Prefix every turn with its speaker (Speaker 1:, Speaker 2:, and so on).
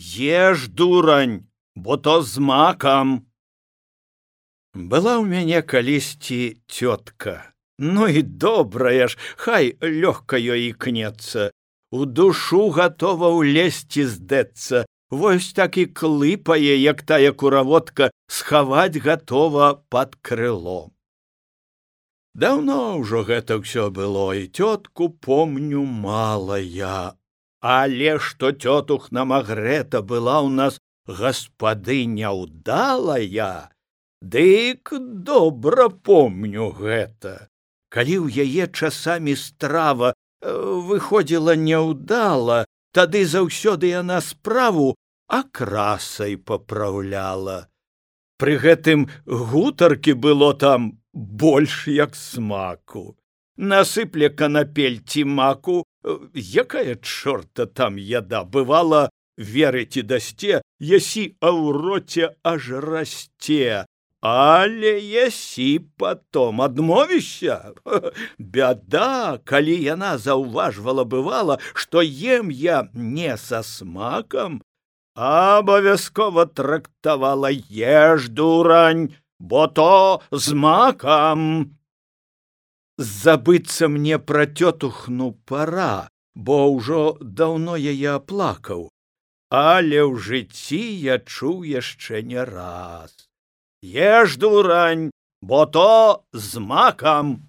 Speaker 1: Еш, дурань, бо то з макам. Была ў мяне калісьці цётка. Ну і добрая ж, хай лёгка ёй ікнецца. У душу гатова ўлезці здэцца. Вось так і клыпае, як тая кураводка, схаваць гатова пад крыло. Даўно ўжо гэта ўсё было, і цётку помню мала я. Але што цётух Намагрэта была ў нас гаспадыня ўдалая, дык добра помню гэта. Калі ў яе часамі страва выходзіла няўдала, тады заўсёды яна справу акрасай папраўляла. Пры гэтым гутаркі было там больш як смаку. Насыпле канапель ці маку, якая чорта там яда, бывала, верыць і дасце, ясі, а ў роце аж расце. Але ясі потом адмовішся. Бяда, калі яна заўважвала бывала, што ем я не са смакам, абавязкова трактавала: еш, дурань, бо то з макам. Забыцца мне пра цётухну пара, бо ўжо даўно яе аплакаў, але ў жыцці я чуў яшчэ не раз: еш, дурань, бо то з макам.